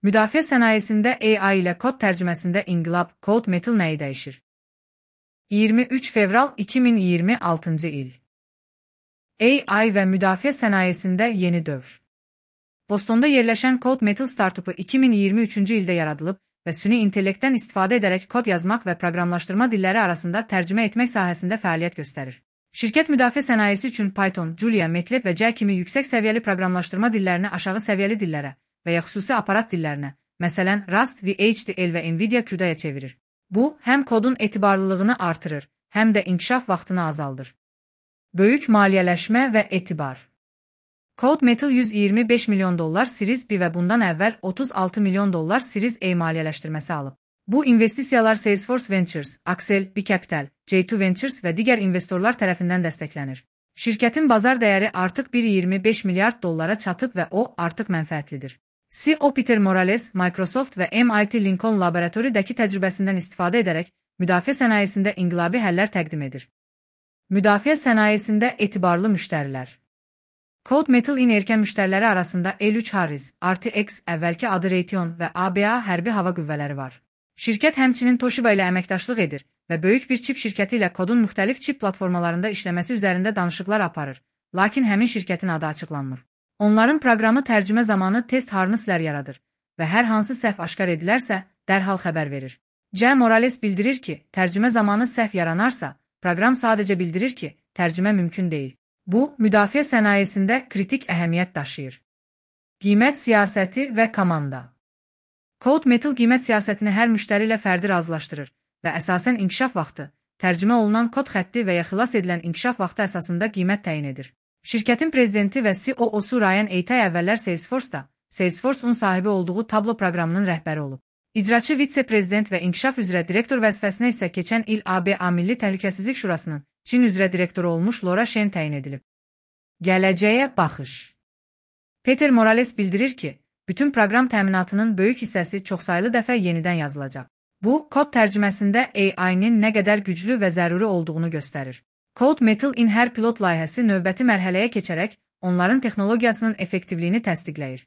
Müdafiə sənayesində AI ilə kod tərcüməsində inqilab, Code Metal nəyi dəyişir? 23 fevral 2026 il. AI və müdafiə sənayesində yeni dövr. Bostonda yerləşən Code Metal startupu 2023-cü ildə yaradılıb və süni intellektdən istifadə edərək kod yazmaq və proqramlaşdırma dilləri arasında tərcümə etmək sahəsində fəaliyyət göstərir. Şirkət müdafiə sənayesi üçün Python, Julia, MATLAB və C kimi yüksək səviyyəli proqramlaşdırma dillərini aşağı səviyyəli dillərə və ya xüsusi aparat dillərinə, məsələn Rust, VHDL və NVIDIA CUDA-ya çevirir. Bu, həm kodun etibarlılığını artırır, həm də inkişaf vaxtını azaldır. Böyük maliyyələşmə və etibar. Code Metal $125 milyon Series B və bundan əvvəl $36 milyon Series A maliyyələşdirməsi alıb. Bu investisiyalar Salesforce Ventures, Accel, B Capital, J2 Ventures və digər investorlar tərəfindən dəstəklənir. Şirkətin bazar dəyəri artıq $1.25 milyard çatıb və o artıq mənfəətlidir. CEO Peter Morales, Microsoft və MIT Lincoln laboratoridəki təcrübəsindən istifadə edərək müdafiə sənayesində inqilabi həllər təqdim edir. Müdafiə sənayesində etibarlı müştərilər. Code Metal erkən müştəriləri arasında L3 Harris, RTX, əvvəlki adı Raytheon və ABA hərbi hava qüvvələri var. Şirkət həmçinin Toshiba ilə əməkdaşlıq edir və böyük bir çip şirkəti ilə kodun müxtəlif çip platformalarında işləməsi üzərində danışıqlar aparır, lakin həmin şirkətin adı açıqlanmır. Onların proqramı tərcümə zamanı test harnesslər yaradır və hər hansı səhv aşkar edilərsə, dərhal xəbər verir. C. Morales bildirir ki, tərcümə zamanı səhv yaranarsa, proqram sadəcə bildirir ki, tərcümə mümkün deyil. Bu, müdafiə sənayesində kritik əhəmiyyət daşıyır. Qiymət siyasəti və komanda. Code Metal qiymət siyasətini hər müştəri ilə fərdi razılaşdırır və əsasən inkişaf vaxtı, tərcümə olunan kod xətti və ya xilas edilən inkişaf vaxtı əsasında qiymət təyin edir. Şirkətin prezidenti və CEO-su Ryan Eytay əvvəllər Salesforce-da, Salesforce-un sahibi olduğu Tableau proqramının rəhbəri olub. İcraçı vitse-prezident və inkişaf üzrə direktor vəzifəsinə isə keçən il ABA Milli Təhlükəsizlik Şurasının Çin üzrə direktoru olmuş Laura Shen təyin edilib. Gələcəyə baxış. Peter Morales bildirir ki, bütün proqram təminatının böyük hissəsi çoxsaylı dəfə yenidən yazılacaq. Bu, kod tərcüməsində AI-nin nə qədər güclü və zəruri olduğunu göstərir. Code Metal hər pilot layihəsi növbəti mərhələyə keçərək onların texnologiyasının effektivliyini təsdiqləyir.